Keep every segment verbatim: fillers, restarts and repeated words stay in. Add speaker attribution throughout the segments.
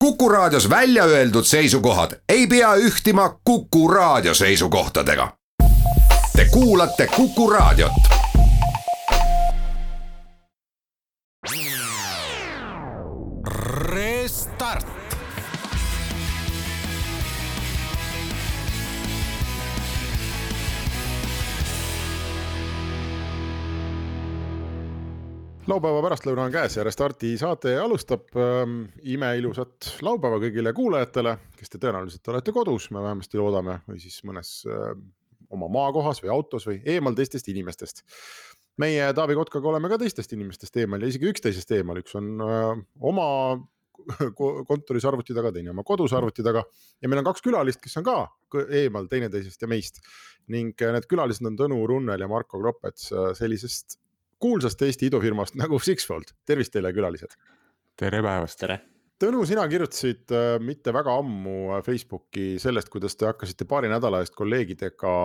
Speaker 1: Kuku Raadios välja öeldud seisukohad ei pea ühtima Kuku Raadio seisukohtadega. Te kuulate Kuku Raadiot. Restart.
Speaker 2: Laupäeva pärastlõuna on käes ja Restarti saate alustab ähm, imeilusat laupäeva kõigile kuulajatele, kes te tõenäoliselt olete kodus, me vähemasti loodame, või siis mõnes äh, oma maakohas või autos või eemal teistest inimestest. Meie Taavi Kotkaga oleme ka teistest inimestest eemal ja isegi üksteisest eemal. Üks on äh, oma kontoris arvuti taga, teine oma kodus arvuti taga ja meil on kaks külalist, kes on ka eemal teineteisest ja meist. Ning need külalised on Tõnu Runnel ja Marko Kropets sellisest kuulsast Eesti idufirmast nagu Sixfold. Tervist teile külalised.
Speaker 3: Tere päevast.
Speaker 4: Tere.
Speaker 2: Tõnu, sina kirjutasid äh, mitte väga ammu Facebooki sellest, kuidas te hakkasite paari nädala eest kolleegidega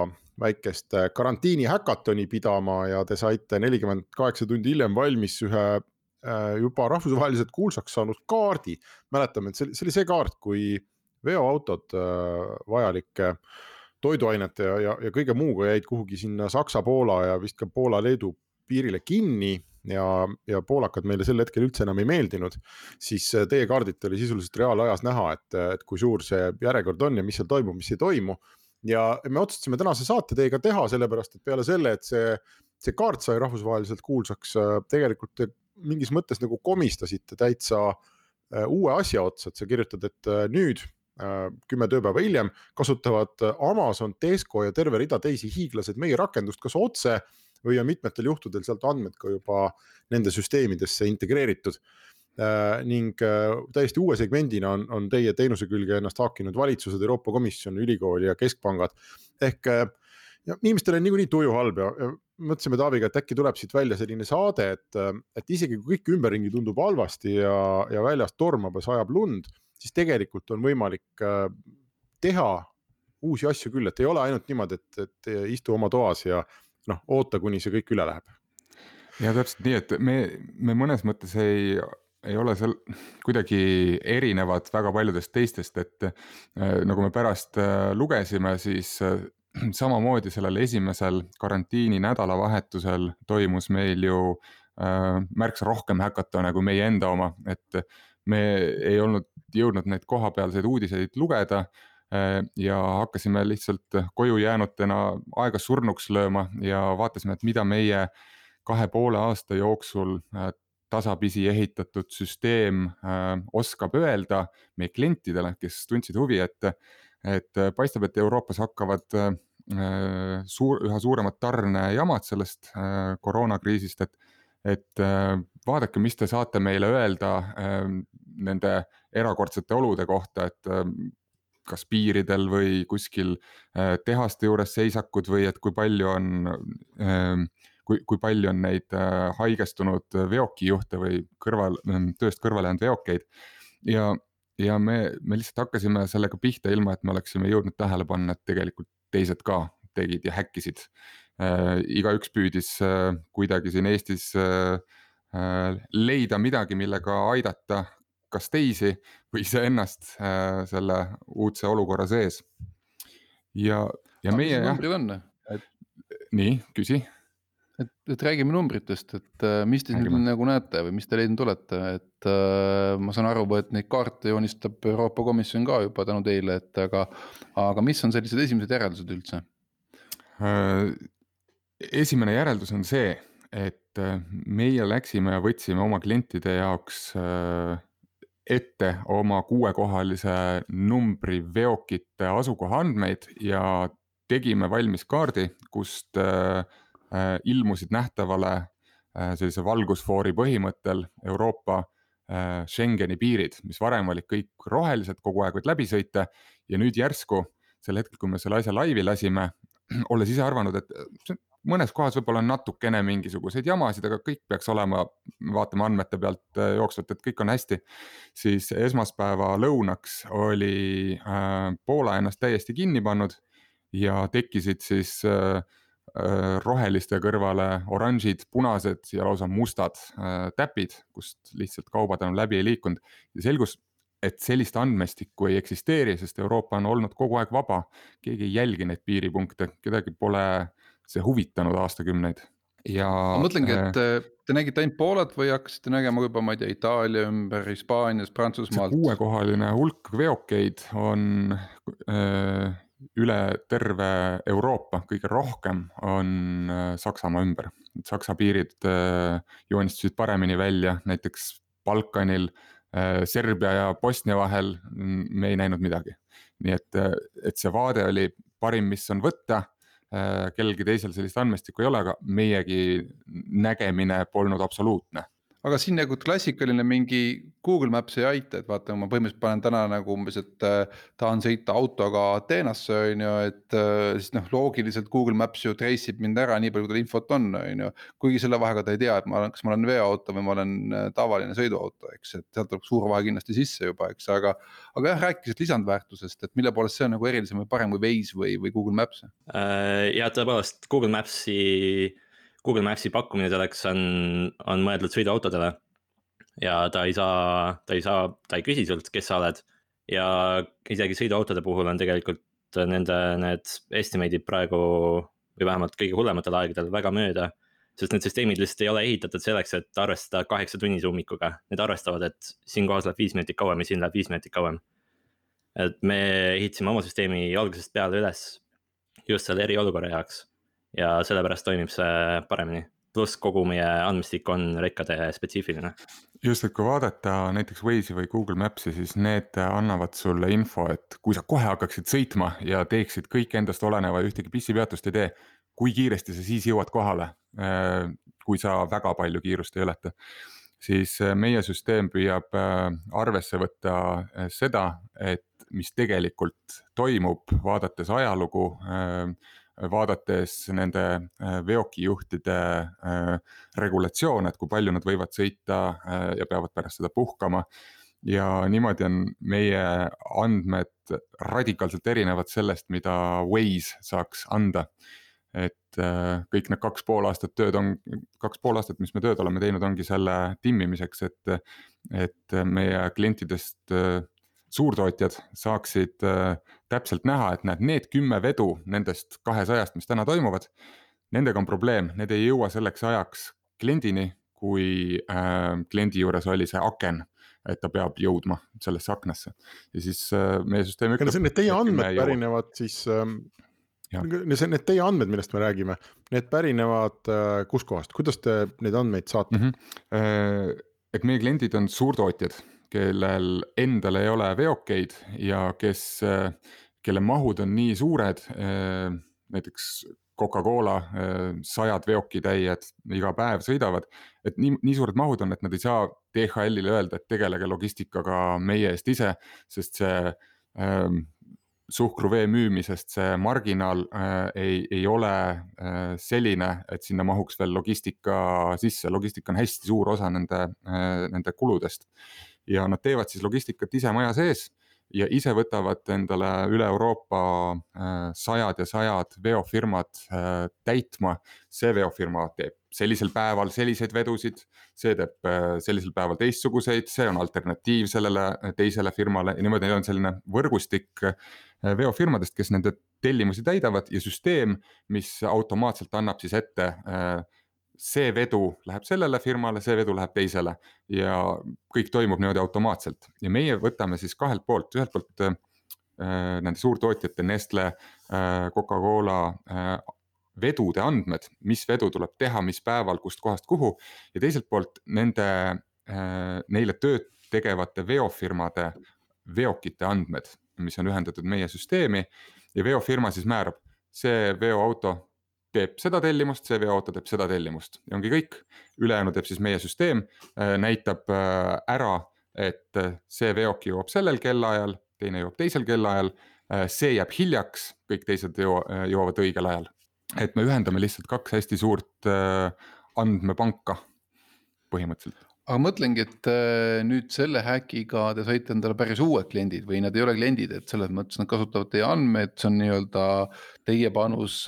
Speaker 2: väikest karantiini häkatoni pidama ja te saite nelikümmend kaheksa tundi hiljem valmis ühe äh, juba rahvusvaheliselt kuulsaks saanud kaardi. Mäletame, et see, see oli see kaart, kui veoautod äh, vajalike toiduainete ja, ja, ja kõige muuga jäid kuhugi sinna Saksa, Poola ja vist ka Poola-Leedu piirile kinni ja, ja poolakad meile sel hetkel üldse enam ei meeldinud, siis teie kaardit oli sisuliselt reaalajas näha, et, et kui suur see järjekord on ja mis seal toimub, mis ei toimu. Ja me otsustasime tänase saate teiega teha, sellepärast, et peale selle, et see, see kaart sai rahvusvaheliselt kuulsaks, tegelikult te mingis mõttes nagu komistasite täitsa uue asja otsa, et sa kirjutad, et nüüd kümme tööpäeva hiljem kasutavad Amazon, Tesco ja terve rida teisi hiiglased meie rakendust kas otse või on mitmetel juhtudel sealt andmed ka juba nende süsteemidesse integreeritud. Äh, ning äh, täiesti uue segmendina on, on teie teenuse külge ennast haakinud valitsused, Euroopa Komisjon, ülikooli ja keskpangad. Ehk äh, ja, inimestel on niikuinii tuju halb ja, ja mõtlesime Taaviga, et äkki tuleb siit välja selline saade, et, et isegi kui kõik ümberringi tundub halvasti ja, ja väljas tormab ja sajab lund, siis tegelikult on võimalik äh, teha uusi asju küll, et ei ole ainult niimoodi, et, et istu oma toas ja noh, oota, kuni see kõik üle läheb.
Speaker 3: Ja täpselt nii, et me, me mõnes mõttes ei, ei ole seal kuidagi erinevad väga paljudest teistest, et äh, nagu me pärast äh, lugesime, siis äh, samamoodi sellel esimesel karantiini nädalavahetusel toimus meil ju äh, märksa rohkem häkatone kui meie enda oma, et me ei olnud jõudnud neid kohapealseid uudiseid lugeda, ja hakkasime lihtsalt koju jäänutena aega surnuks lööma ja vaatasime, et mida meie kahe poole aasta jooksul tasapisi ehitatud süsteem oskab öelda meie klientidele, kes tundsid huvi, et, et paistab, et Euroopas hakkavad suur, üha suuremad tarnejamad sellest koroonakriisist, et, et vaadake, mis te saate meile öelda nende erakordsete olude kohta, et kas piiridel või kuskil tehaste juures seisakud või et kui palju on, kui, kui palju on neid haigestunud veokijuhte või kõrval, tööst kõrvale jäänud veokeid. Ja, ja me, me lihtsalt hakkasime sellega pihta ilma, et me oleksime jõudnud tähele panna, et tegelikult teised ka tegid ja häkkisid. Igaüks püüdis kuidagi siin Eestis leida midagi, millega aidata kas teisi või ise ennast äh, selle uudse olukorra sees. Ja, ja
Speaker 4: no,
Speaker 3: meie...
Speaker 4: Mis numbrid on?
Speaker 3: Et, nii, küsi.
Speaker 4: Et, et räägime numbritest, et äh, mis te siin nagu näete või mis te leidnud olete, et äh, ma saan aru, et neid kaarte joonistab Euroopa Komisjon ka juba tänu teile, et aga, aga mis on sellised esimesed järeldused üldse?
Speaker 3: Äh, esimene järeldus on see, et meie läksime ja võtsime oma klientide jaoks äh, ette oma kuuekohalise numbri veokite asukoha andmeid ja tegime valmis kaardi, kust äh, ilmusid nähtavale äh, sellise valgusfoori põhimõttel Euroopa äh, Schengeni piirid, mis varem olid kõik rohelised, kogu aeg võid läbi sõita ja nüüd järsku sel hetkel, kui me selle asja laivi lasime, olles ise arvanud, et mõnes kohas võib-olla on natukene mingisuguseid jamasid, aga kõik peaks olema, vaatame andmete pealt jooksvalt, et kõik on hästi, siis esmaspäeva lõunaks oli äh, Poola ennast täiesti kinni pannud ja tekkisid siis äh, roheliste kõrvale oranžid, punased ja lausa mustad äh, täpid, kust lihtsalt kaubad enam läbi ei liikunud ja selgus, et sellist andmestikku ei eksisteeri, sest Euroopa on olnud kogu aeg vaba. Keegi ei jälgi neid piiripunkte, kedagi pole see huvitanud aastakümneid. Ja
Speaker 4: ma mõtlengi, et te nägite ainult Poolat või hakkasite nägema juba, ma ei tea, Itaalia ümber, Hispaanias, Prantsusmaalt?
Speaker 3: See kuuekohaline hulk veokeid on öö, üle terve Euroopa, kõige rohkem on Saksamaa ümber. Saksa piirid joonistusid paremini välja, näiteks Balkanil, Serbia ja Bosnia vahel me ei näinud midagi. Nii et, et see vaade oli parim, mis on võtta, kellelgi teisel sellist andmestikku ei ole, aga meiegi nägemine polnud absoluutne.
Speaker 4: Aga siin nagu klassikaline mingi Google Maps ei aita, et vaata, ma põhimõtteliselt panen täna nagu umbes, et tahan sõita autoga Ateenasse, on ju, et siis noh, loogiliselt Google Maps ju treisib mind ära nii palju, kui infot on, on ju. Kuigi selle vahega ta ei tea, et ma olen, kas ma olen veoauto või ma olen tavaline sõiduauto, eks, et sealt tuleb suur vahe kindlasti sisse juba, eks, aga, aga jah, rääkisid lisandväärtusest, et mille poolest see on nagu erilisem või parem kui Waze või, või Google Maps?
Speaker 5: Ja tõepoolest, Google Mapsi Google Mapsi pakkumine selleks on, on mõeldud sõiduautodele ja ta ei saa, ta ei saa, ta ei küsi sult, kes sa oled ja isegi sõiduautode puhul on tegelikult nende need estimate'id praegu või vähemalt kõige hullematel aegadel väga mööda, sest need süsteemid lihtsalt ei ole ehitatud selleks, et arvestada kaheksa tunnise ummikuga. Need arvestavad, et siin kohas läheb viis minutit kauem ja siin läheb viis minutit kauem. Et me ehitasime oma süsteemi algusest peale üles just selle eriolukorra jaoks. Ja sellepärast toimib see paremini. Plus kogu meie andmestik on rekkade spetsiifiline.
Speaker 3: Just, et kui vaadata näiteks Waze'i või Google Maps'i, siis need annavad sulle info, et kui sa kohe hakkaksid sõitma ja teeksid kõik endast oleneva ja ühtegi pissipeatust ei tee, kui kiiresti sa siis jõuad kohale, kui sa väga palju kiirust ei ületa. Siis meie süsteem püüab arvesse võtta seda, et mis tegelikult toimub, vaadates ajalugu, vaadates nende veokijuhtide regulatsioon, et kui palju nad võivad sõita ja peavad pärast seda puhkama. Ja niimoodi on meie andmed radikaalselt erinevad sellest, mida Waze saaks anda. Et kõik need kaks pool aastat tööd on, kaks pool aastat, mis me tööd oleme teinud, ongi selle timmimiseks, et, et meie klientidest suurtootjad saaksid äh, täpselt näha, et näed, need kümme vedu nendest kahesajast, mis täna toimuvad, nendega on probleem, need ei jõua selleks ajaks kliendini, kui äh, kliendi juures oli see aken, et ta peab jõudma sellesse aknasse. Ja siis äh, meie süsteem
Speaker 2: ütleb... Need teie andmed pärinevad siis, äh, need teie andmed, millest me räägime, need pärinevad äh, kus kohast, kuidas te neid andmeid saate?
Speaker 3: Mm-hmm. Äh, et meie kliendid on suurtootjad, kellel endal ei ole veokeid ja kes, kelle mahud on nii suured, näiteks Coca-Cola sajad veokitäied iga päev sõidavad, et nii, nii suured mahud on, et nad ei saa D H L-ile öelda, et tegelege logistikaga meie eest ise, sest see äh, suhkruvee müümisest see marginaal äh, ei, ei ole äh, selline, et sinna mahuks veel logistika sisse. Logistika on hästi suur osa nende, äh, nende kuludest. Ja nad teevad siis logistikat ise maja sees ja ise võtavad endale üle Euroopa sajad ja sajad veofirmad täitma. See veofirma teeb sellisel päeval selliseid vedusid, see teeb sellisel päeval teistsuguseid, see on alternatiiv sellele teisele firmale ja niimoodi on selline võrgustik veofirmadest, kes nende tellimusi täidavad ja süsteem, mis automaatselt annab siis ette see vedu läheb sellele firmale, see vedu läheb teisele ja kõik toimub niimoodi automaatselt. Ja meie võtame siis kahelt poolt, ühelt poolt äh, nende suurtootjate Nestle, äh, Coca-Cola äh, vedude andmed, mis vedu tuleb teha, mis päeval, kust kohast kuhu ja teiselt poolt nende, äh, neile tööd tegevate veofirmade veokite andmed, mis on ühendatud meie süsteemi ja veofirma siis määrab see veoauto teeb seda tellimust, see veoauto teeb seda tellimust ja ongi kõik. Ülejäänu teeb siis meie süsteem, näitab ära, et see veoki jõuab sellel kellaajal, teine jõuab teisel kellaajal, see jääb hiljaks, kõik teised jõuavad õigel ajal. Et me ühendame lihtsalt kaks hästi suurt andmepanka põhimõtteliselt.
Speaker 4: aga mõtlengi, et nüüd selle häkiga te saite endale päris uued kliendid või nad ei ole kliendid, et selles mõttes nad kasutavad teie andmeid, see on nii-öelda teie panus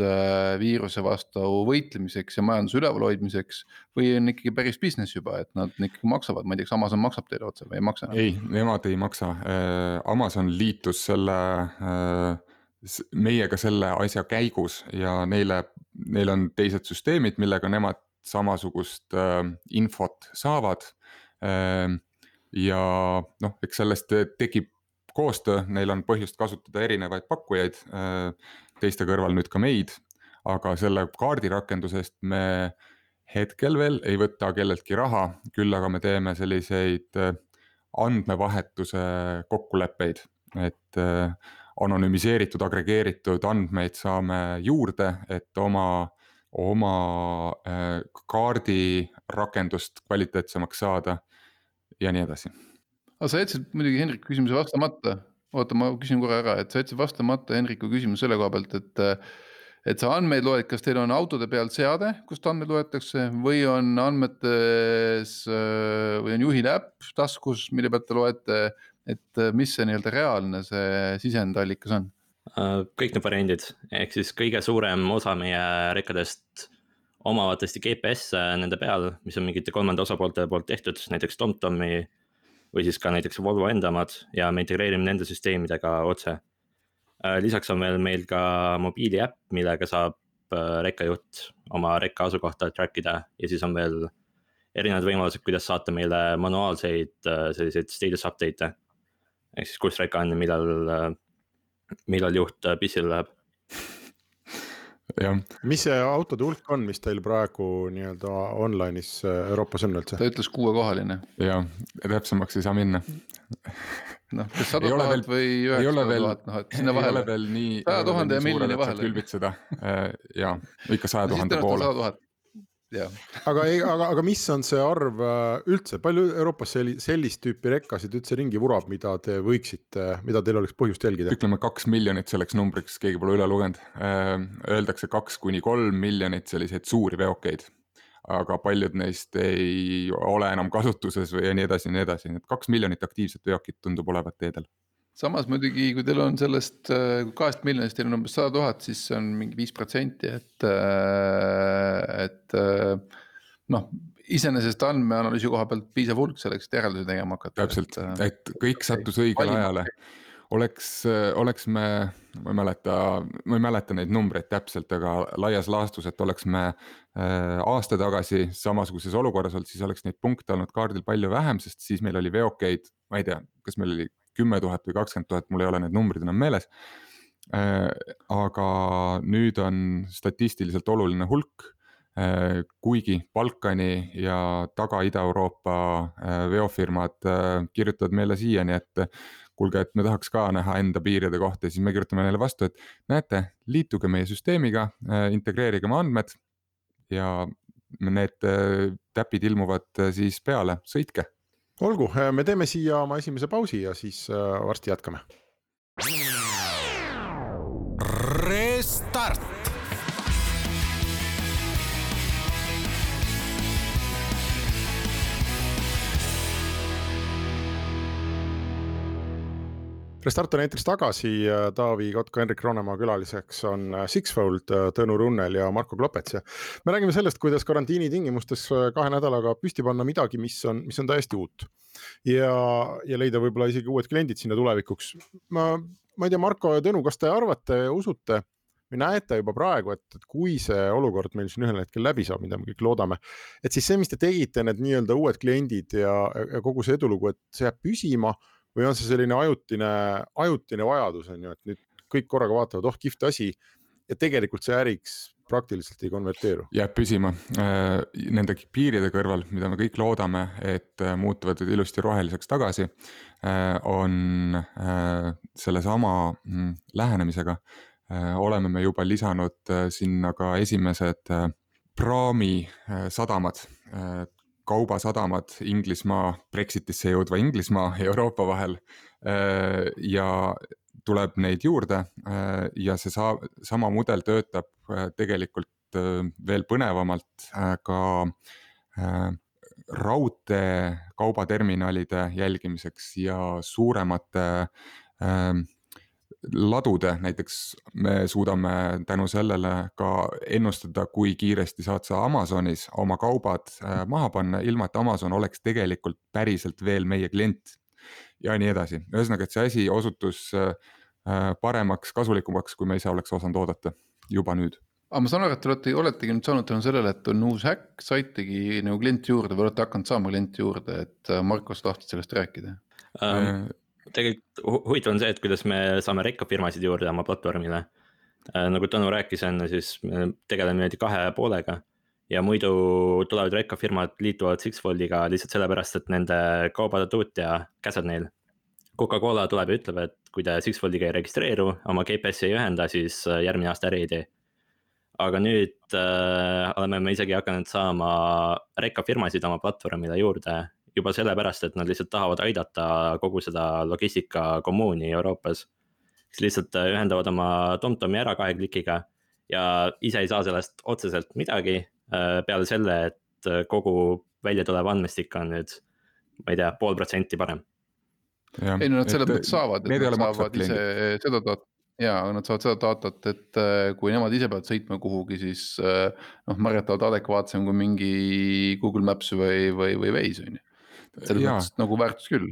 Speaker 4: viiruse vastu võitlemiseks ja majanduse ülevalhoidmiseks või on ikkagi päris business juba, et nad ikkagi maksavad, ma ei tea, kas Amazon maksab teile otse või ei maksa?
Speaker 3: Ei, nemad ei maksa. Amazon liitus selle, meiega selle asja käigus ja neile, neil on teised süsteemid, millega nemad samasugust äh, infot saavad äh, ja noh, eks sellest tekib koostöö, neil on põhjust kasutada erinevaid pakkujaid, äh, teiste kõrval nüüd ka meid, aga selle kaardirakendusest me hetkel veel ei võta kelleltki raha, küll aga me teeme selliseid andmevahetuse kokkuleppeid, et äh, anonüümiseeritud, agregeeritud andmeid saame juurde, et oma oma kaardi rakendust kvaliteetsemaks saada ja nii edasi.
Speaker 4: Aga sa jätsid muidugi Henriku küsimuse vastamata. Oota, ma küsin korra ära, et sa jätsid vastamata Henriku küsimus selle koha pealt, et, et sa andmeid loed, kas teil on autode peal seade, kust andmeid loetakse või on andmetes või on juhil äpp taskus, mille pealt te loete, et mis see nii-öelda reaalne see sisendallikas on?
Speaker 5: Kõik need variandid, ehk siis kõige suurem osa meie rekkadest omavad tõesti G P S nende peal, mis on mingite kolmanda osapoolte poolt tehtud, näiteks TomTomi või siis ka näiteks Volvo endamad ja me integreerime nende süsteemidega otse. Lisaks on veel meil ka mobiili äpp, millega saab rekkajuht oma rekka asukohta trackida ja siis on veel erinevad võimalused, kuidas saata meile manuaalseid selliseid status update'e, ehk siis kus rekka on ja millal millal juht pissile läheb.
Speaker 3: Ja.
Speaker 2: Mis see autode hulk on, mis teil praegu nii-öelda online'is Euroopas on üldse?
Speaker 4: Ta ütles kuuekohaline.
Speaker 3: Ja, täpsemaks ei saa minna.
Speaker 4: Noh, kas sada tuhat või üheksasada tuhat, noh, et sinna vahele.
Speaker 3: Ei ole veel nii,
Speaker 4: sada tuhande ja milline vahele.
Speaker 3: Külbitseda. Ja, ikka sada tuhande poole.
Speaker 4: Ja.
Speaker 2: Aga, aga, aga mis on see arv üldse, palju Euroopas sellist tüüpi rekkasid üldse ringi vurab, mida te võiksite, mida teil oleks põhjust jälgida?
Speaker 3: Ütleme kaks miljonit selleks numbriks, keegi pole üle lugenud. Öeldakse kaks kuni kolm miljonit selliseid suuri veokeid, aga paljud neist ei ole enam kasutuses või nii edasi, nii edasi. Need kaks miljonit aktiivset veokit tundub olevat teedel.
Speaker 4: Samas muidugi, kui teil on sellest kahest miljonist, teil on umbes sada tuhat, siis see on mingi viis protsenti, et, et noh, iseenesest andmeanalüüsi koha pealt piisav hulk selleks, et järeldusi tegema hakata.
Speaker 3: Täpselt, et kõik sattus õigel ajale. Oleks, oleks me, ma ei mäleta, ma ei mäleta neid numbreid täpselt, aga laias laastus, et oleks me aasta tagasi samasuguses olukorras olnud, siis oleks neid punkte olnud kaardil palju vähem, sest siis meil oli veokeid, ma ei tea, kas meil oli kümme tuhat või kakskümmend tuhat, mul ei ole need numbrid enam meeles. Aga nüüd on statistiliselt oluline hulk, kuigi Balkani ja taga Ida-Euroopa veofirmad kirjutavad meile siiani, et kuulge, et me tahaks ka näha enda piiride kohta, siis me kirjutame neile vastu, et näete, liituge meie süsteemiga, integreerige oma andmed ja need täpid ilmuvad siis peale, sõitke.
Speaker 2: Olgu, me teeme siia oma esimese pausi ja siis varsti jätkame.
Speaker 1: Restart!
Speaker 2: Restart on eetris tagasi, Taavi Kotka, Henrik Roonemaa külaliseks on Sixfold, Tõnu Runnel ja Marko Klopets. Me räägime sellest, kuidas karantiini tingimustes kahe nädalaga püsti panna midagi, mis on, mis on täiesti uut ja, ja leida võib-olla isegi uued kliendid sinna tulevikuks. Ma, ma ei tea, Marko ja Tõnu, kas te arvate, usute või näete juba praegu, et, et kui see olukord meil siin ühel hetkel läbi saab, mida me kõik loodame, et siis see, mis te tegite, need nii-öelda uued kliendid ja, ja kogu see edulugu, et see jääb püsima või on see selline ajutine, ajutine vajadus, on ju, et nüüd kõik korraga vaatavad, oh, kihvt asi ja tegelikult see äriks praktiliselt ei konverteeru.
Speaker 3: Jääb püsima. Nende piiride kõrval, mida me kõik loodame, et muutuvad ilusti roheliseks tagasi, on selle sama lähenemisega. Oleme me juba lisanud sinna ka esimesed praami sadamad, kaubasadamad Inglismaa, Brexitisse jõudva Inglismaa ja Euroopa vahel ja tuleb neid juurde ja see saa, sama mudel töötab tegelikult veel põnevamalt ka raudtee kaubaterminalide jälgimiseks ja suuremate äh, ladude, näiteks me suudame tänu sellele ka ennustada, kui kiiresti saad sa Amazonis oma kaubad äh, maha panna, ilma et Amazon oleks tegelikult päriselt veel meie klient ja nii edasi. Ühesõnaga, et see asi osutus äh, paremaks, kasulikumaks, kui me ise oleks osanud oodata juba nüüd.
Speaker 4: Aga ma saan aru, et te olete, oletegi nüüd saanud tänu sellele, et on uus häkk, saitegi nagu klienti juurde või olete hakanud saama klienti juurde, et Marko, sa tahtsid sellest rääkida?
Speaker 5: Um, tegelikult hu- huvitav on see, et kuidas me saame rekkafirmasid juurde oma platvormile. Uh, nagu Tõnu rääkis enne, siis me tegeleme niimoodi kahe poolega ja muidu tulevad rekkafirmad liituvad Sixfoldiga lihtsalt sellepärast, et nende kaubade tootja käsad neil. Coca-Cola tuleb ja ütleb, et kui te Sixfoldiga ei registreeru, oma G P S-i ei ühenda, siis järgmine aasta äri ei tee. Aga nüüd äh, oleme me isegi hakanud saama rekkafirmasid oma platvormile juurde juba sellepärast, et nad lihtsalt tahavad aidata kogu seda logistika kommuuni Euroopas. Kes lihtsalt ühendavad oma TomTomi ära kahe klikiga ja ise ei saa sellest otseselt midagi äh, peale selle, et kogu välja tulev andmestik on nüüd, ma ei tea, pool protsenti parem.
Speaker 3: Ja,
Speaker 4: ei no nad selle mõttes saavad, et nad saavad ise seda datat. Jaa, nad saavad seda datat, et kui nemad ise peavad sõitma kuhugi, siis noh, marjatavad adekvaatsem kui mingi Google Maps või, või, või Waze on ju. Selles mõttes nagu väärtus küll.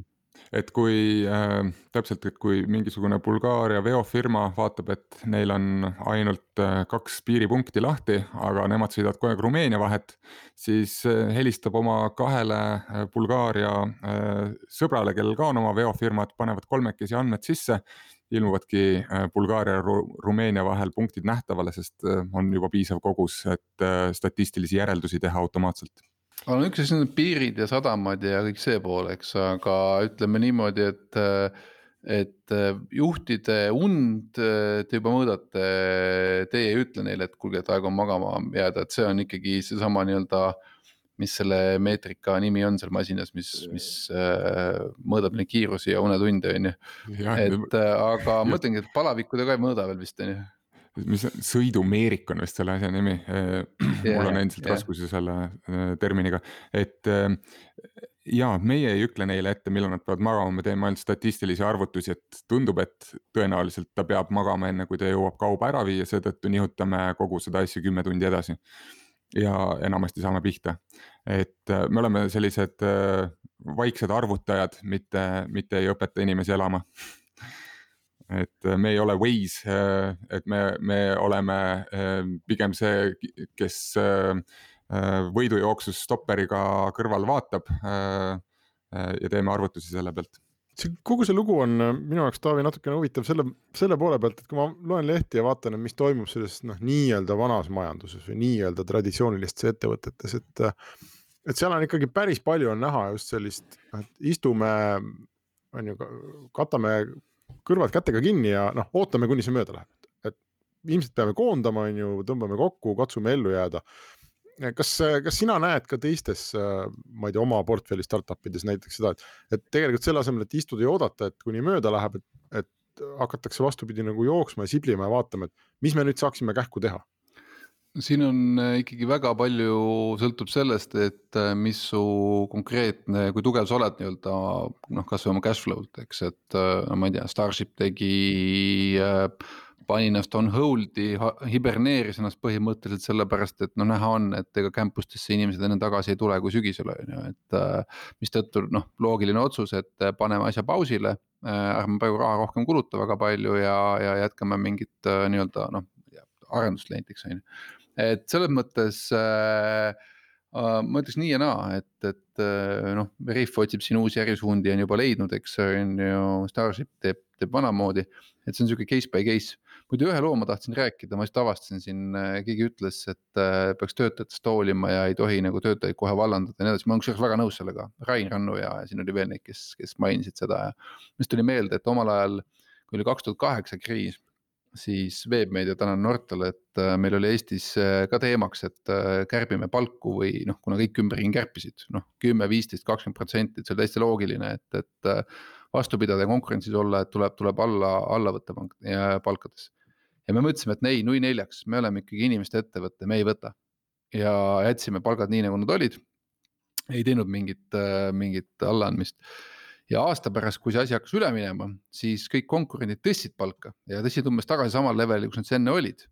Speaker 3: Et kui äh, täpselt, et kui mingisugune Bulgaaria veofirma vaatab, et neil on ainult äh, kaks piiripunkti lahti, aga nemad sõidavad kogu aeg Rumeenia vahet, siis äh, helistab oma kahele äh, Bulgaaria äh, sõbrale, kellel ka on oma veofirmad, panevad kolmekesi andmed sisse, ilmuvadki äh, Bulgaaria ja Ru- Rumeenia vahel punktid nähtavale, sest äh, on juba piisav kogus, et äh, statistilisi järeldusi teha automaatselt.
Speaker 4: On üks asi, piirid ja sadamad ja kõik see pool, eks, aga ütleme niimoodi, et, et juhtide und te juba mõõdate, teie ei ütle neile, et kulge, et aeg on magama jääda, et see on ikkagi see sama nii-öelda, mis selle meetrika nimi on seal masinas, mis, mis mõõdab neid kiirusi ja unetunde, on ju. Et aga mõtlengi, et palavikkude ka ei mõõda veel vist, on ju.
Speaker 3: Mis sõidumeerik on vist selle asja nimi,
Speaker 4: Yeah,
Speaker 3: mul on endiselt
Speaker 4: yeah.
Speaker 3: raskusi selle terminiga, et ja meie ei ükle neile ette, millal nad peavad magama, me teeme ainult statistilisi arvutusi, et tundub, et tõenäoliselt ta peab magama enne, kui ta jõuab kauba ära viia, seetõttu nihutame kogu seda asja kümme tundi edasi ja enamasti saame pihta. Et me oleme sellised vaiksed arvutajad, mitte, mitte ei õpeta inimesi elama. Et me ei ole Waze, et me, me oleme pigem see, kes võidujooksus stopperiga kõrval vaatab ja teeme arvutusi selle pealt.
Speaker 2: See, kogu see lugu on minu jaoks, Taavi, natukene huvitav selle, selle poole pealt, et kui ma loen lehti ja vaatan, mis toimub selles noh, nii-öelda vanas majanduses või nii-öelda traditsioonilistes ettevõtetes, et, et seal on ikkagi päris palju on näha just sellist, et istume, on ju, katame kõrvad kätega kinni ja noh, ootame, kuni see mööda läheb. Et ilmselt peame koondama, on ju, tõmbame kokku, katsume ellu jääda. Kas, kas sina näed ka teistes, ma ei tea, oma portfelli startupides näiteks seda, et, et tegelikult selle asemel, et istuda ja oodata, et kuni mööda läheb, et, et hakatakse vastupidi nagu jooksma ja siblima ja vaatama, et mis me nüüd saaksime kähku teha?
Speaker 4: Siin on ikkagi väga palju sõltub sellest, et mis su konkreetne, kui tugev sa oled nii-öelda, noh, kas või oma cashflow'd, eks, et no, ma ei tea, Starship tegi, pani ennast on hold'i, hiberneeris ennast põhimõtteliselt sellepärast, et no näha on, et ega campustesse inimesed enne tagasi ei tule, kui sügisel on, et mis tõttu, noh, loogiline otsus, et paneme asja pausile, ärme praegu raha rohkem kuluta väga palju ja, ja jätkame mingit nii-öelda, noh, arendust näiteks, on ju. Et selles mõttes äh, äh, ma ütleks nii ja naa, et, et äh, noh, Riff otsib siin uusi ärisuundi on juba leidnud, eks on ju, Starship teeb, teeb vanamoodi, et see on selline case by case. Muidu ühe loo ma tahtsin rääkida, ma just avastasin siin, keegi ütles, et äh, peaks töötajatest hoolima ja ei tohi nagu töötajaid kohe vallandada ja nii edasi. Ma olen väga nõus sellega, Rain Rannu ja, ja siin oli veel neid, kes, kes mainisid seda ja mis tuli meelde, et omal ajal, kui oli kaks tuhat kaheksa kriis, siis Veebmeedia tänan Nortale, et meil oli Eestis ka teemaks, et kärbime palku või noh, kuna kõik ümberring kärpisid, noh, kümme, viisteist, kakskümmend protsenti, et see on täiesti loogiline, et, et vastu pidada ja konkurentsis olla, et tuleb, tuleb alla, alla võtta palkades. Ja me mõtlesime, et nei, nui neljaks, me oleme ikkagi inimeste ettevõtte, me ei võta. Ja jätsime palgad nii, nagu nad olid. ei teinud mingit, mingit allaandmist. Ja aasta pärast, kui see asi hakkas üle minema, siis kõik konkurendid tõstsid palka ja tõstsid umbes tagasi samal leveli, kus nad enne olid.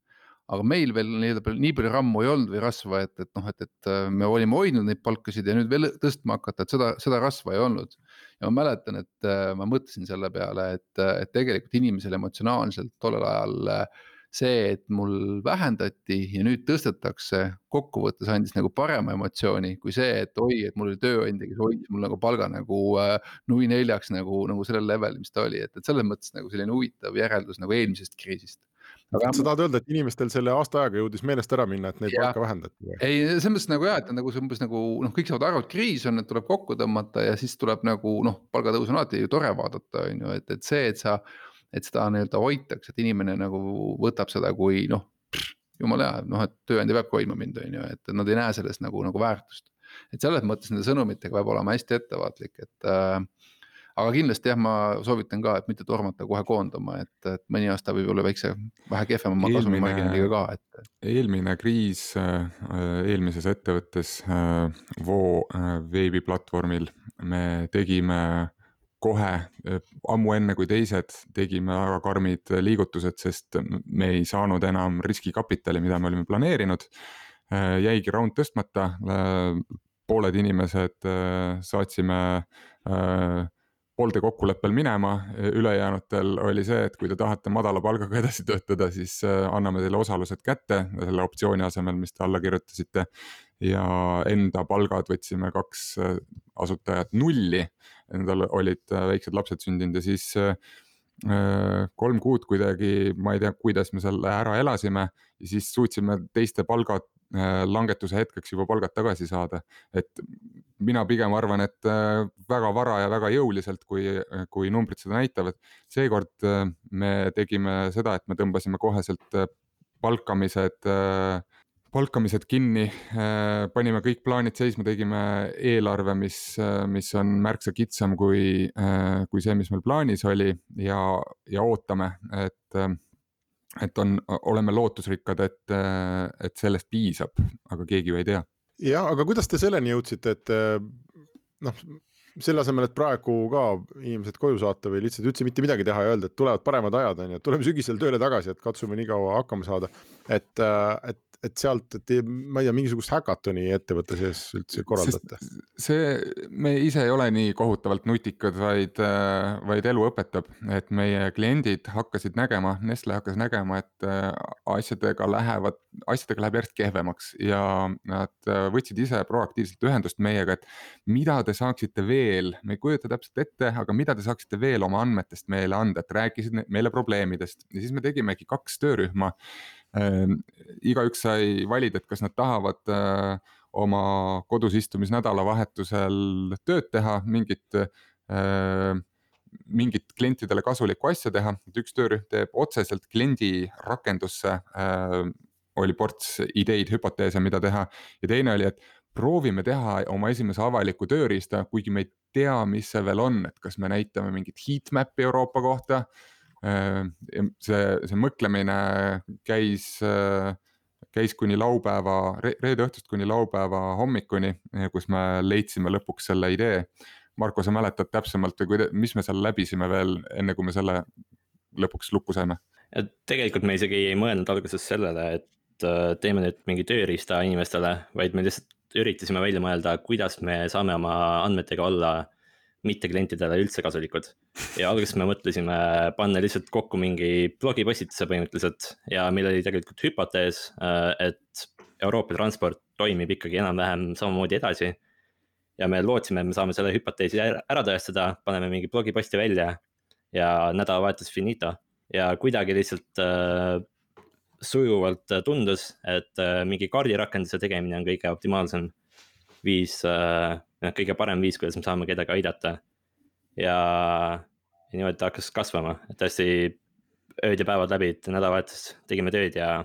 Speaker 4: Aga meil veel nii palju rammu ei olnud või rasva, et, et, noh, et, et me olime hoidnud neid palkasid ja nüüd veel tõstma hakata, et seda, seda rasva ei olnud. Ja ma mäletan, et ma mõtlesin selle peale, et, et tegelikult inimesel emotsionaalselt tollel ajal see, et mul vähendati ja nüüd tõstetakse, kokkuvõttes andis nagu parema emotsiooni kui see, et oi, et mul oli tööandja, kes hoidis mul nagu palga nagu nui neljaks nagu, nagu sellel level, mis ta oli, et, et selles mõttes nagu selline huvitav järeldus nagu eelmisest kriisist.
Speaker 2: Aga sa tahad öelda, et inimestel selle aasta aega jõudis meelest ära minna, et neid palka vähendati või?
Speaker 4: Ei, selles mõttes nagu jah, et nagu see umbes nagu, noh, kõik saavad aru, et kriis on, et tuleb kokku tõmmata ja siis tuleb nagu, noh, palgatõus on alati ju tore vaadata, on ju, et, et see, et sa et seda nii-öelda hoitaks, et inimene nagu võtab seda kui noh, jumal hea, noh, et tööandja peabki hoidma mind, on ju, et nad ei näe sellest nagu, nagu väärtust. Et selles mõttes nende sõnumitega peab olema hästi ettevaatlik, et äh, aga kindlasti jah, ma soovitan ka, et mitte tormata kohe koondama, et, et mõni aasta võib olla väikse, vähe kehvema kasumimarginaaliga ka. Et...
Speaker 3: Eelmine kriis eelmises ettevõttes Voo veebiplatvormil me tegime kohe ammu enne kui teised tegime väga karmid liigutused, sest me ei saanud enam riskikapitali, mida me olime planeerinud. Jäigi round tõstmata, pooled inimesed saatsime poolde kokkuleppel minema, ülejäänutel oli see, et kui te tahate madala palgaga edasi töötada, siis anname teile osalused kätte selle optsiooni asemel, mis te alla kirjutasite. Ja enda palgad võtsime kaks asutajat nulli, endal olid väiksed lapsed sündinud ja siis kolm kuud kuidagi, ma ei tea, kuidas me selle ära elasime ja siis suutsime teiste palgad langetuse hetkeks juba palgad tagasi saada. Et mina pigem arvan, et väga vara ja väga jõuliselt, kui, kui numbrid seda näitavad. Seekord me tegime seda, et me tõmbasime koheselt palkamised palkamised kinni, panime kõik plaanid seisma, tegime eelarve, mis, mis on märksa kitsam kui, kui see, mis meil plaanis oli ja, ja ootame, et, et on, oleme lootusrikkad, et, et sellest piisab, aga keegi ju ei tea.
Speaker 2: Ja, aga kuidas te selleni jõudsite, et noh, selle asemel, et praegu ka inimesed koju saata või lihtsalt üldse mitte midagi teha ja öelda, et tulevad paremad ajad, on ja tuleme sügisel tööle tagasi, et katsume nii kaua hakkama saada, et, et et sealt, et ma ei tea, mingisugust häkatoni ettevõtte sees üldse korraldate?
Speaker 3: See, me ise ei ole nii kohutavalt nutikad, vaid, vaid elu õpetab, et meie kliendid hakkasid nägema, Nestle hakkas nägema, et asjadega lähevad, asjadega läheb järjest kehvemaks ja nad võtsid ise proaktiivselt ühendust meiega, et mida te saaksite veel, me ei kujuta täpselt ette, aga mida te saaksite veel oma andmetest meile anda, et rääkisid meile probleemidest ja siis me tegimegi kaks töörühma. Äh, igaüks sai valida, et kas nad tahavad äh, oma kodus istumis nädalavahetusel tööd teha, mingit, äh, mingit klientidele kasulikku asja teha, et üks töörühm teeb otseselt kliendi rakendusse, äh, oli ports ideid, hüpoteese, mida teha ja teine oli, et proovime teha oma esimese avaliku tööriista, kuigi me ei tea, mis see veel on, et kas me näitame mingit heatmapi Euroopa kohta. See, see mõtlemine käis, käis kuni laupäeva, reede õhtust kuni laupäeva hommikuni, kus me leidsime lõpuks selle idee. Marko, sa mäletad täpsemalt, mis me seal läbisime veel enne, kui me selle lõpuks lukku saime?
Speaker 5: Ja tegelikult me isegi ei mõelnud alguses sellele, et teeme nüüd mingi tööriista inimestele, vaid me lihtsalt üritasime välja mõelda, kuidas me saame oma andmetega olla mitte klientidele üldse kasulikud. Ja alguses me mõtlesime panna lihtsalt kokku mingi blogipostituse põhimõtteliselt ja meil oli tegelikult hüpotees, et Euroopa transport toimib ikkagi enam-vähem samamoodi edasi. Ja me lootsime, et me saame selle hüpoteesi ära tõestada, paneme mingi blogiposti välja ja nädalavahetus finito. Ja kuidagi lihtsalt äh, sujuvalt tundus, et äh, mingi kaardirakenduse tegemine on kõige optimaalsem viis, äh, kõige parem viis, kuidas me saame kedagi aidata. Ja, ja niimoodi ta hakkas kasvama, et hästi ööd ja päevad läbi, et nädalavahetus tegime tööd ja,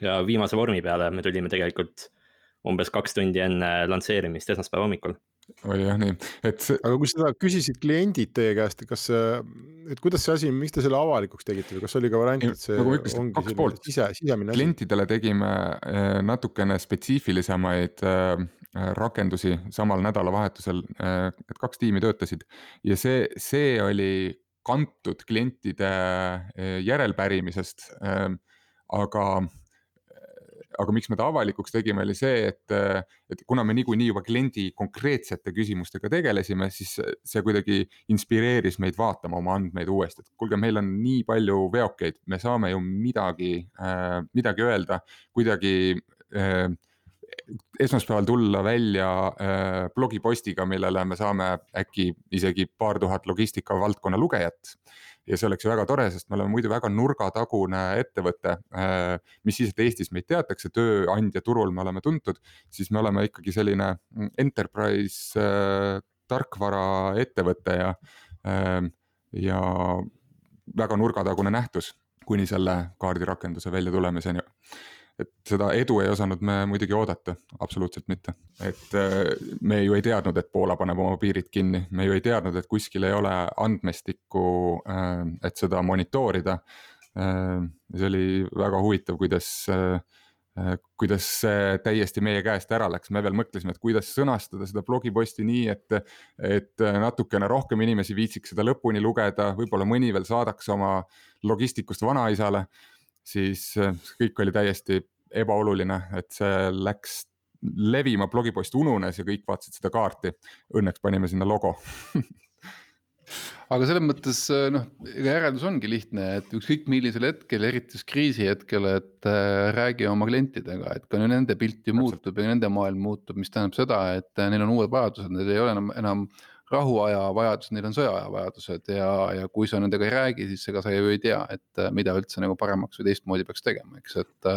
Speaker 5: ja viimase vormi peale me tulime tegelikult umbes kaks tundi enne lansseerimist esmaspäeva hommikul.
Speaker 3: Oli jah nii. Et see...
Speaker 2: Aga kui seda küsisid kliendid teie käest, kas, et kuidas see asi, miks te selle avalikuks tegite või kas oli ka variant, et see
Speaker 3: nagu ütlesin,
Speaker 2: ongi selline sise, sisemine asi?
Speaker 3: Klientidele tegime natukene spetsiifilisemaid rakendusi samal nädalavahetusel, et kaks tiimi töötasid ja see, see oli kantud klientide järelpärimisest, aga aga miks me ta avalikuks tegime, oli see, et, et kuna me niikuinii juba kliendi konkreetsete küsimustega tegelesime, siis see kuidagi inspireeris meid vaatama oma andmeid uuesti, et kuulge, meil on nii palju veokeid, me saame ju midagi, midagi öelda, kuidagi esmaspäeval tulla välja blogipostiga, millele me saame äkki isegi paar tuhat logistika valdkonna lugejat. Ja see oleks ju väga tore, sest me oleme muidu väga nurgatagune ettevõte, mis siis, et Eestis meid teatakse, tööandja turul me oleme tuntud, siis me oleme ikkagi selline enterprise tarkvara ettevõte ja, ja väga nurgatagune nähtus kuni selle kaardirakenduse välja tulemiseni. Et seda edu ei osanud me muidugi oodata, absoluutselt mitte. Et me ju ei teadnud, et Poola paneb oma piirid kinni, me ju ei teadnud, et kuskil ei ole andmestikku, et seda monitoorida. See oli väga huvitav, kuidas, kuidas see täiesti meie käest ära läks. Me veel mõtlesime, et kuidas sõnastada seda blogiposti nii, et, et natukene rohkem inimesi viitsiks seda lõpuni lugeda, võib-olla mõni veel saadaks oma logistikust vanaisale. Siis kõik oli täiesti ebaoluline, et see läks levima, blogipost ununes ja kõik vaatasid seda kaarti. Õnneks panime sinna logo.
Speaker 4: Aga selles mõttes, noh, järeldus ongi lihtne, et ükskõik millisel hetkel, eriti kriisi hetkel, et räägi oma klientidega, et ka nende pilt ju muutub ja nende maailm muutub, mis tähendab seda, et neil on uued vajadused, need ei ole enam, enam rahuaja vajadused, neil on sõjaaja vajadused ja, ja kui sa nendega ei räägi, siis ega sa ju ei tea, et mida üldse nagu paremaks või teistmoodi peaks tegema, eks, et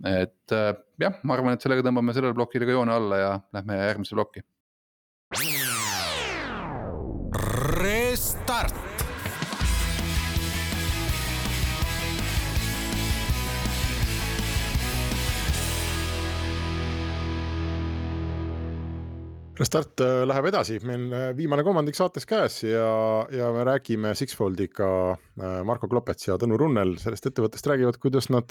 Speaker 4: et jah, ma arvan, et sellega tõmbame sellele blokile ka joone alla ja lähme järgmise blokki.
Speaker 1: Restart!
Speaker 2: Restart läheb edasi, meil viimane kolmandik saates käes ja, ja me räägime Sixfoldiga Marko Klopets ja Tõnu Runnel sellest ettevõttest räägivad, kuidas nad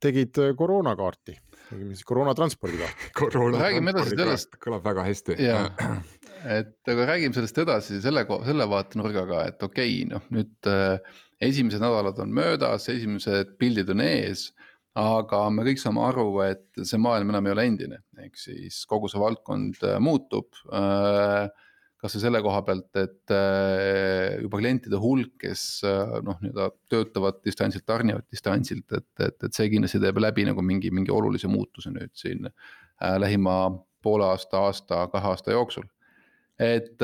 Speaker 2: tegid koroonakaarti, tegime siis koroonatranspordikaarti.
Speaker 3: Koroona
Speaker 4: räägime edasi sellest.
Speaker 3: Kõlab väga hästi.
Speaker 4: Ja, et aga räägime sellest edasi selle, selle vaatenurgaga, et okei, noh nüüd esimesed nädalad on möödas, esimesed pildid on ees, aga me kõik saame aru, et see maailm enam ei ole endine, ehk siis kogu see valdkond muutub, kas see selle koha pealt, et juba klientide hulk, kes noh, nii-öelda töötavad distantsilt, tarnivad distantsilt, et, et, et see kindlasti teeb läbi nagu mingi, mingi olulise muutuse nüüd siin lähima poole aasta, aasta, kahe aasta jooksul. Et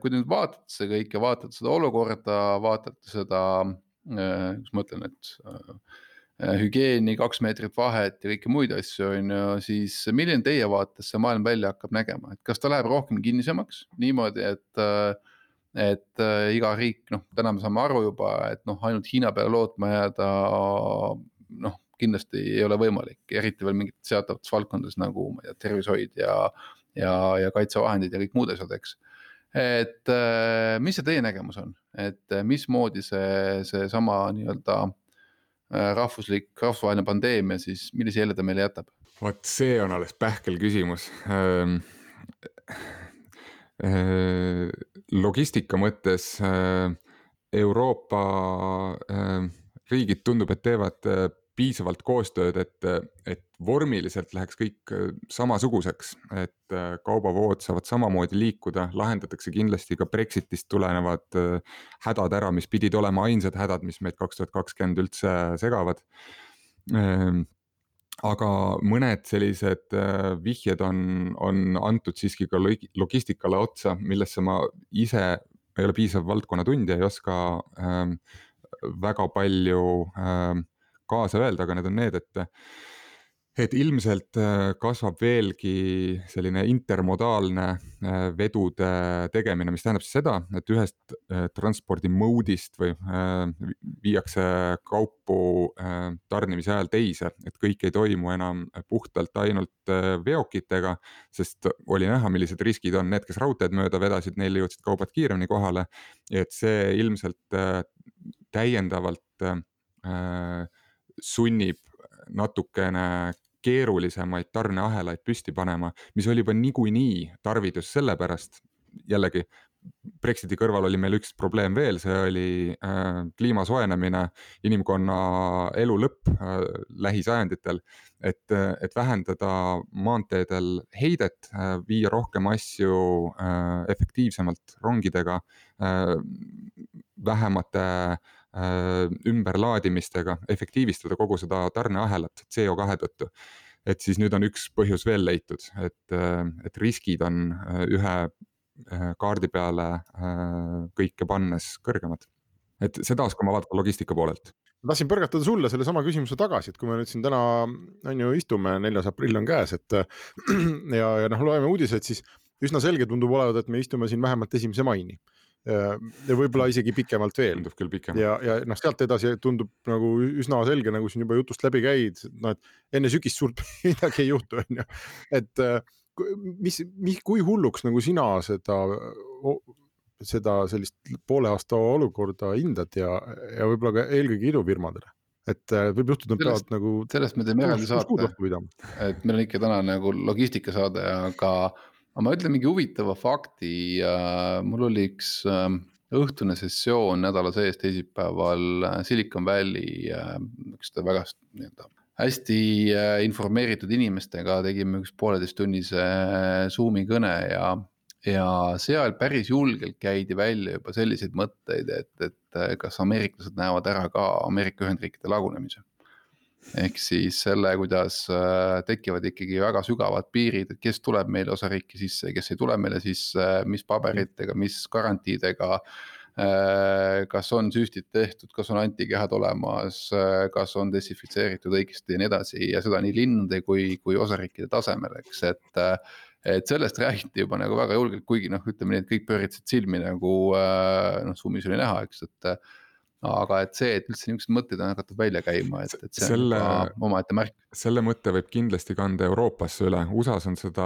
Speaker 4: kui nüüd vaatate see kõik ja vaatate seda olukorda, vaatate seda, kus ma ütlen, et hügieeni, kaks meetrit vahet ja kõike muid asju on ju, siis milline teie vaates see maailm välja hakkab nägema, et kas ta läheb rohkem kinnisemaks niimoodi, et, et iga riik, noh, täna me saame aru juba, et noh, ainult Hiina peale lootma jääda, noh, kindlasti ei ole võimalik, eriti veel mingit seatavates valdkondades nagu ma ei tea, tervishoid ja, ja, ja kaitsevahendid ja kõik muud asjad, eks. Et mis see teie nägemus on, et mismoodi see, see sama nii-öelda rahvuslik, rahvusvaheline pandeemia, siis millise jälje ta meile jätab?
Speaker 3: Vaat see on alles pähkel küsimus. Logistika mõttes Euroopa riigid tundub, et teevad piisavalt koostööd, et, et vormiliselt läheks kõik samasuguseks, et kaubavood saavad samamoodi liikuda, lahendatakse kindlasti ka Brexitist tulenevad hädad ära, mis pidid olema ainsad hädad, mis meid kaks tuhat kakskümmend üldse segavad. Aga mõned sellised vihjed on, on antud siiski ka logistikale otsa, millesse ma ise ei ole piisav valdkonna tundja, ei oska ähm, väga palju ähm, kaasa öelda, aga need on need, et, et ilmselt kasvab veelgi selline intermodaalne vedude tegemine, mis tähendab seda, et ühest transpordimoodist või viiakse kaupu tarnimise ajal teise, et kõik ei toimu enam puhtalt ainult veokitega, sest oli näha, millised riskid on need, kes raudteed mööda vedasid, neil jõudsid kaubad kiiremini kohale, et see ilmselt täiendavalt sunnib natukene keerulisemaid tarneahelaid püsti panema, mis oli juba niikuinii tarvidus sellepärast, jällegi Brexiti kõrval oli meil üks probleem veel, see oli äh, kliima soojenemine, inimkonna elu lõpp äh, lähisajanditel, et, et vähendada maanteedel heidet, äh, viia rohkem asju äh, efektiivsemalt rongidega, äh, vähemate äh, ümberlaadimistega, efektiivistada kogu seda tarneahelat C O kahe tõttu. Et siis nüüd on üks põhjus veel leitud, et, et riskid on ühe kaardi peale kõike pannes kõrgemad. Et seda oskama vaadata logistika poolelt.
Speaker 2: Ma tahtsin põrgatada sulle selle sama küsimuse tagasi, et kui me nüüd siin täna on ju istume, neljas aprill on käes, et ja, ja noh, loeme uudiseid, siis üsna selge tundub olevat, et me istume siin vähemalt esimese maini. Ja võib-olla isegi pikemalt veel.
Speaker 3: Tundub küll pikemalt.
Speaker 2: Ja, ja noh, sealt edasi tundub nagu üsna selge, nagu siin juba jutust läbi käid, no, et enne sügist suurt midagi ei juhtu, on ju. Et mis, mis, kui hulluks nagu sina seda, seda sellist poole aasta olukorda hindad ja, ja võib-olla ka eelkõige idufirmadele? Et võib juhtuda, et peavad nagu...
Speaker 4: Sellest me teeme eraldi saate, et meil on ikka täna nagu logistika saade, aga ma ütlen mingi huvitava fakti. Mul oli üks õhtune sessioon nädala sees teisipäeval Silicon Valley, üks väga nii-öelda hästi informeeritud inimestega, tegime üks pooleteist tunnise Zoomi kõne ja, ja seal päris julgelt käidi välja juba selliseid mõtteid, et, et kas ameeriklased näevad ära ka Ameerika Ühendriikide lagunemise. Ehk siis selle, kuidas tekivad ikkagi väga sügavad piirid, et kes tuleb meile osariiki sisse, kes ei tule meile sisse, mis paberitega, mis garantiidega, kas on süstid tehtud, kas on antikehad olemas, kas on desinfitseeritud õigesti ja nii edasi ja seda nii linnade kui, kui osariikide tasemel, eks, et, et sellest räägiti juba nagu väga julgelt, kuigi noh, ütleme nii, et kõik pööritsid silmi nagu noh, Zoomis oli näha, eks, et aga et see, et üldse niisugused mõtted on hakatud välja käima, et, et see selle, on oma ette märk.
Speaker 3: Selle mõtte võib kindlasti kanda Euroopasse üle. U S A-s on seda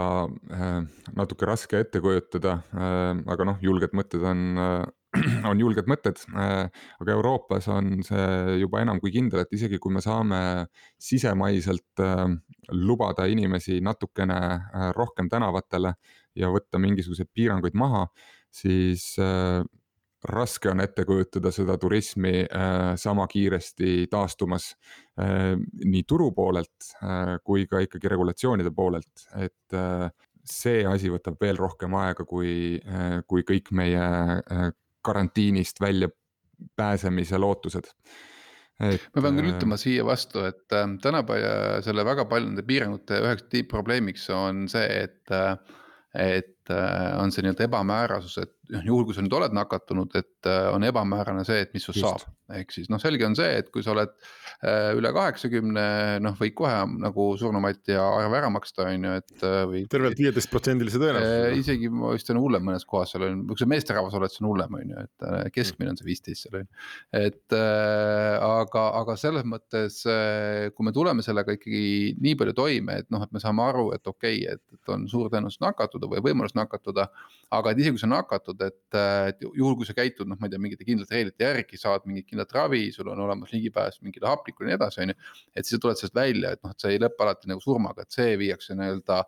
Speaker 3: äh, natuke raske ette kujutada, äh, aga noh, julged mõtted on, äh, on julged mõtted, äh, aga Euroopas on see juba enam kui kindel, et isegi kui me saame sisemaiselt äh, lubada inimesi natukene äh, rohkem tänavatele ja võtta mingisuguseid piiranguid maha, siis äh, raske on ette kujutada seda turismi äh, sama kiiresti taastumas äh, nii turu poolelt äh, kui ka ikkagi regulatsioonide poolelt, et äh, see asi võtab veel rohkem aega kui, äh, kui kõik meie äh, karantiinist välja pääsemise lootused.
Speaker 4: Et, ma pean küll ütlema siia vastu, et äh, tänapäeva selle väga paljude piirangute üheks tiibprobleemiks on see, et äh, et on see nii-öelda ebamäärasus, et juhul kui sa nüüd oled nakatunud, et on ebamäärane see, et mis sul saab. Ehk siis noh, selge on see, et kui sa oled üle kaheksakümne, noh võid kohe nagu surnumati ja arve ära maksta, on ju, et või
Speaker 2: tervelt viieteist protsendilise tõenäosusega.
Speaker 4: Isegi ma vist on hullem mõnes kohas seal on, kui sa meesterahvas oled, see on hullem, on ju, et keskmine on see viisteist seal on. Et aga, aga selles mõttes, kui me tuleme sellega ikkagi nii palju toime, et noh, et me saame aru, et okei, et, et on suur tõenäosus nakatuda või võimalus nakatuda, aga et isegi kui sa nakatud, et, et juhul kui sa käitud, noh ma ei tea, mingite kindlate reeglite järgi, saad mingit kindlat ravi, sul on olemas ligipääs mingile hapnikule ja nii edasi, on ju, et siis tuled sellest välja, et noh, et see ei lõppe alati nagu surmaga, et see viiakse nii-öelda,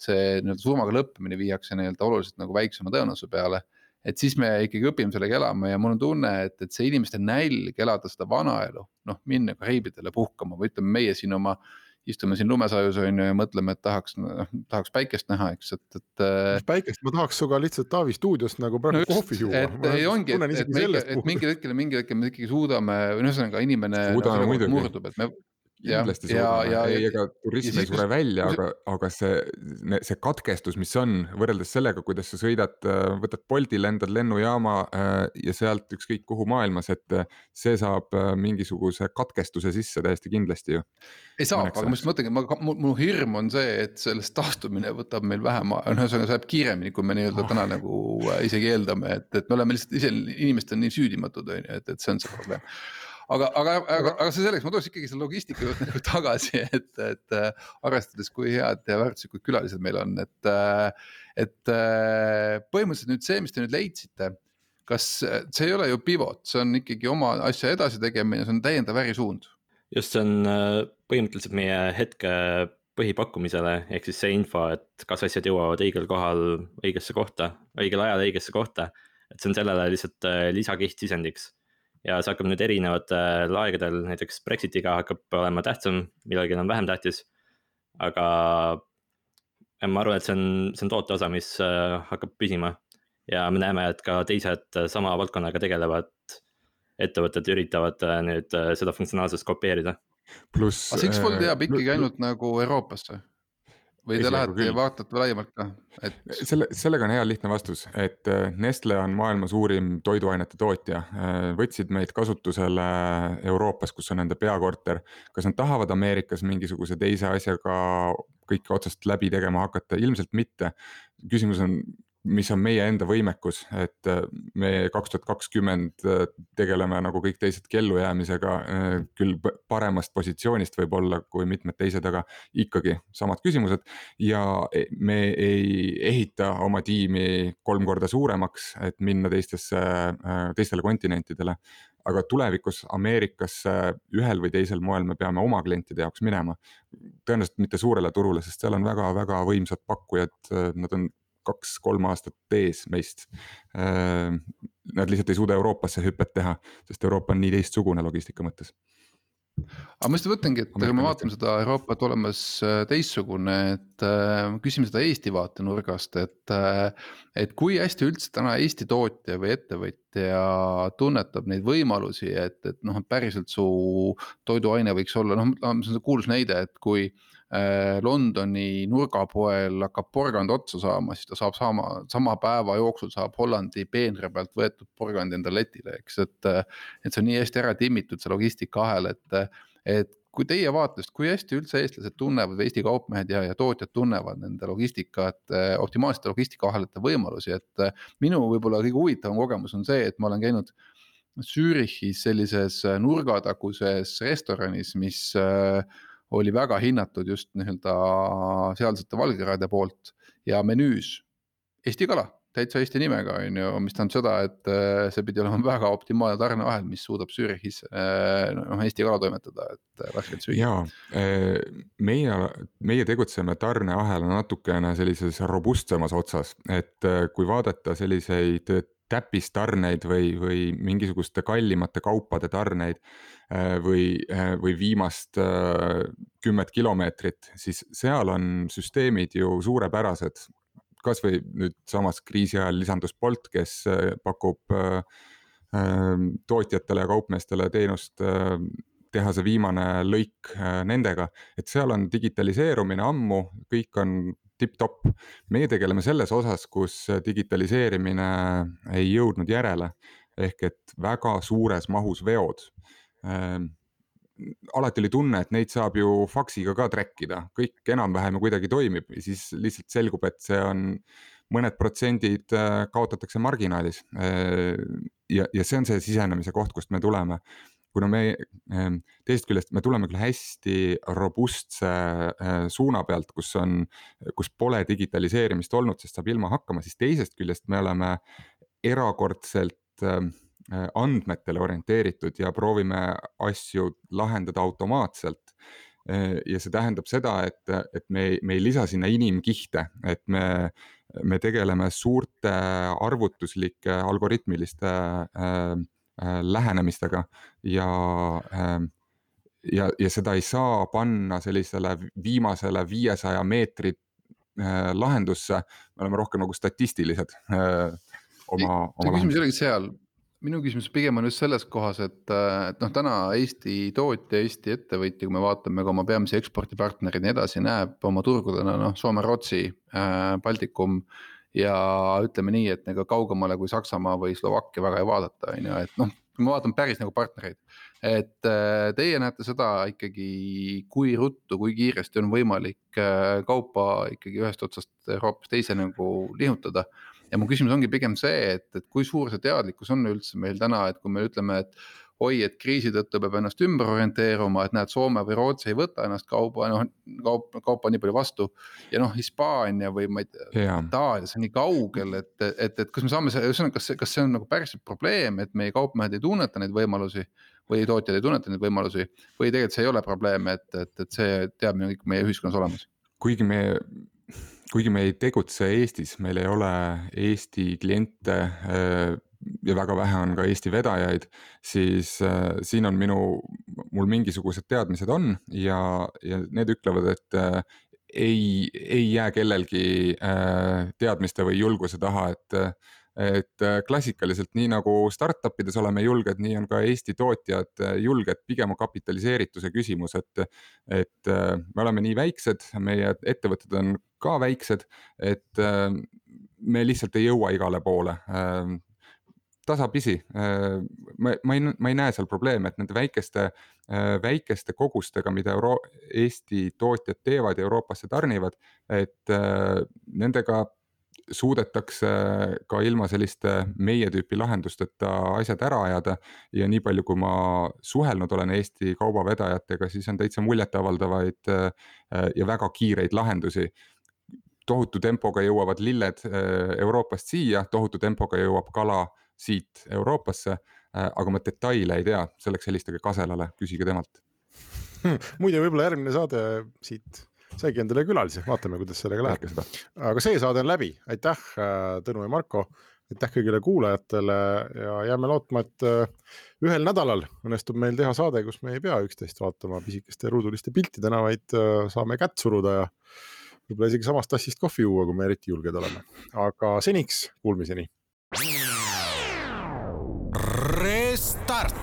Speaker 4: see nii-öelda surmaga lõppemine viiakse nii-öelda oluliselt nagu väiksema tõenäosuse peale, et siis me ikkagi õpime sellega elama ja mul on tunne, et, et see inimeste nälg elada seda vanaelu, noh minna Kariibidele puhkama või ütleme meie siin oma istume siin lumesajus on ju ja mõtleme, et tahaks, tahaks päikest näha, eks, et, et
Speaker 2: päikest, ma tahaks suga lihtsalt Taavi stuudios nagu praegu no kohvi juua.
Speaker 4: Et ei ongi, et, et, et, et mingil hetkel, mingil hetkel me ikkagi suudame, või ühesõnaga inimene
Speaker 3: suudame
Speaker 4: no, murdub, et me
Speaker 3: kindlasti suudame, ei, ega turism ei sure välja, aga, aga see, see katkestus, mis on võrreldes sellega, kuidas sa sõidad, võtad Bolti, lendad lennujaama ja sealt ükskõik kuhu maailmas, et see saab mingisuguse katkestuse sisse täiesti kindlasti ju.
Speaker 4: Ei saa, aga ma just mõtlengi, mu hirm on see, et sellest taastumine võtab meil vähem, ühesõnaga saab kiiremini, kui me nii-öelda täna nagu isegi eeldame, et, et me oleme lihtsalt ise, inimesed on nii süüdimatud, et, et see on see probleem. Aga, aga, aga, aga see selleks, ma tooks ikkagi selle logistika juurde nagu tagasi, et, et arvestades, kui head ja väärtuslikud külalised meil on, et, et põhimõtteliselt nüüd see, mis te nüüd leidsite, kas see ei ole ju pivot, see on ikkagi oma asja edasi tegemine, see on täiendav ärisuund?
Speaker 5: Just, see on põhimõtteliselt meie hetke põhipakkumisele, ehk siis see info, et kas asjad jõuavad õigel kohal õigesse kohta, õigel ajal õigesse kohta, et see on sellele lihtsalt lisakiht sisendiks. Ja see hakkab nüüd erinevatel aegadel, näiteks Brexitiga hakkab olema tähtsam, millalgi on vähem tähtis, aga ma arvan, et see on, see on toote osa, mis hakkab püsima. Ja me näeme, et ka teised sama valdkonnaga tegelevad ettevõtted üritavad nüüd seda funktsionaalsust kopeerida.
Speaker 3: Plus,
Speaker 4: aga X-Fold jääb ikkagi ainult nagu Euroopasse? Või te lähete ja vaatate laiemalt ka? Et...
Speaker 3: Selle, sellega on hea lihtne vastus, et Nestle on maailma suurim toiduainete tootja. Võtsid meid kasutusele Euroopas, kus on nende peakorter. Kas nad tahavad Ameerikas mingisuguse teise asjaga kõike otsast läbi tegema hakata? Ilmselt mitte. Küsimus on, mis on meie enda võimekus, et me kaks tuhat kakskümmend tegeleme nagu kõik teised kellujäämisega, küll paremast positsioonist võib olla kui mitmed teised, aga ikkagi samad küsimused. Ja me ei ehita oma tiimi kolm korda suuremaks, et minna teistesse, teistele kontinentidele. Aga tulevikus Ameerikasse ühel või teisel moel me peame oma klientide jaoks minema. Tõenäoliselt mitte suurele turule, sest seal on väga-väga võimsad pakkujad, nad on kaks-kolm aastat tees meist. Nad lihtsalt ei suuda Euroopasse hüppet teha, sest Euroopa on nii teistsugune logistika mõttes.
Speaker 4: Aga ma just võtangi, et kui me vaatame seda Euroopat olemas teistsugune, et küsime seda Eesti vaatenurgast, et, et kui hästi üldse täna Eesti tootja või ettevõtja tunnetab neid võimalusi, et, et noh, päriselt su toiduaine võiks olla, noh, see on kuulus näide, et kui Londoni nurgapoel hakkab porgand otsa saama, siis ta saab sama, sama päeva jooksul saab Hollandi peenre pealt võetud porgand enda letile, eks, et, et see on nii hästi ära timmitud see logistika ahel, et, et kui teie vaatest, kui hästi üldse eestlased tunnevad, Eesti kaupmehed ja, ja tootjad tunnevad nende logistikat, optimaalsete logistika ahelate võimalusi, et minu võib-olla kõige huvitavam kogemus on see, et ma olen käinud Zürichis sellises nurgataguses restoranis, mis oli väga hinnatud just nii-öelda sealsete valgerade poolt ja menüüs Eesti kala, täitsa Eesti nimega, on ju, mis tähendab seda, et see pidi olema väga optimaalne tarneahel, mis suudab Zürichis no, Eesti kala toimetada, et värskelt süüa.
Speaker 3: Jaa, meie, meie tegutseme tarneahel natukene sellises robustsemas otsas, et kui vaadata selliseid täppistarneid või, või mingisuguste kallimate kaupade tarneid või, või viimast kümmet kilomeetrit, siis seal on süsteemid ju suurepärased. Kas või nüüd samas kriisi ajal lisandus Bolt, kes pakub tootjatele ja kaupmeestele teenust teha see viimane lõik nendega, et seal on digitaliseerumine ammu, kõik on tip-top. Meie tegeleme selles osas, kus digitaliseerimine ei jõudnud järele, ehk et väga suures mahus veod. Alati oli tunne, et neid saab ju faksiga ka trekkida, kõik enam-vähem kuidagi toimib, siis lihtsalt selgub, et see on mõned protsendid kaotatakse marginaalis ja, ja see on see sisenemise koht, kust me tuleme. Kuna me teist küljest me tuleme küll hästi robustse suuna pealt, kus, on, kus pole digitaliseerimist olnud, sest saab ilma hakkama, siis teisest küljest me oleme erakordselt andmetele orienteeritud ja proovime asju lahendada automaatselt. Ja see tähendab seda, et, et me, me ei lisa sinna inimkihte, et me, me tegeleme suurte arvutuslike algoritmiliste lähenemistega ja, ja, ja seda ei saa panna sellisele viimasele viiesaja meetri lahendusse, me oleme rohkem nagu statistilised oma, oma
Speaker 4: küsimus olegi seal, minu küsimus pigem on just selles kohas, et, et noh, täna Eesti tootja, Eesti ettevõtja, kui me vaatame ka oma peamisi ekspordipartnerid nii edasi, näeb oma turgudena, noh, Soome, Rootsi, Baltikum ja ütleme nii, et ega kaugemale kui Saksamaa või Slovakkia väga ei vaadata, on ju, et noh, kui me vaatame päris nagu partnereid, et teie näete seda ikkagi, kui ruttu, kui kiiresti on võimalik kaupa ikkagi ühest otsast Euroopas teise nagu lihutada. Ja mu küsimus ongi pigem see, et, et kui suur see teadlikkus on üldse meil täna, et kui me ütleme, et oi, et kriisi tõttu peab ennast ümber orienteeruma, et näed, Soome või Rootsi ei võta ennast kauba, noh, kaup, kaupa nii palju vastu ja noh, Hispaania või ma ei tea, Itaalia, see on nii kaugel, et, et, et kas me saame see, kas see, kas see on nagu päriselt probleem, et meie kaupmehed ei tunneta neid võimalusi või tootjad ei tunneta neid võimalusi või tegelikult see ei ole probleem, et, et, et see teadmine kõik meie ühiskonnas olemas.
Speaker 3: Kuigi me, kuigi me ei tegutse Eestis, meil ei ole Eesti kliente ja väga vähe on ka Eesti vedajaid, siis äh, siin on minu, mul mingisugused teadmised on ja, ja need ütlevad, et äh, ei, ei jää kellelgi äh, teadmiste või julguse taha, et, et klassikaliselt nii nagu startupides oleme julged, nii on ka Eesti tootjad julged, pigem on kapitaliseerituse küsimus, et, et äh, me oleme nii väiksed, meie ettevõtted on ka väiksed, et äh, me lihtsalt ei jõua igale poole. Äh, tasapisi, ma, ma, ei, ma ei näe seal probleeme, et nende väikeste, väikeste kogustega, mida Euro Eesti tootjad teevad ja Euroopasse tarnivad, et nendega suudetakse ka ilma selliste meie tüüpi lahendusteta asjad ära ajada ja nii palju, kui ma suhelnud olen Eesti kaubavedajatega, siis on täitsa muljetavaldavaid ja väga kiireid lahendusi. Tohutu tempoga jõuavad lilled Euroopast siia, tohutu tempoga jõuab kala siit Euroopasse, aga ma detaile ei tea, selleks helistage Kaselale, küsige temalt.
Speaker 2: Muide, võib-olla järgmine saade siit saigi endale külalise, vaatame, kuidas sellega läheb. Aga see saade on läbi, aitäh Tõnu ja Marko, aitäh kõigile kuulajatele ja jääme lootma, et ühel nädalal õnnestub meil teha saade, kus me ei pea üksteist vaatama pisikeste ruuduliste piltidena, vaid saame kätt suruda ja võib-olla isegi samast tassist kohvi juua, kui me eriti julged oleme. Aga seniks kuulmiseni.
Speaker 1: Restart.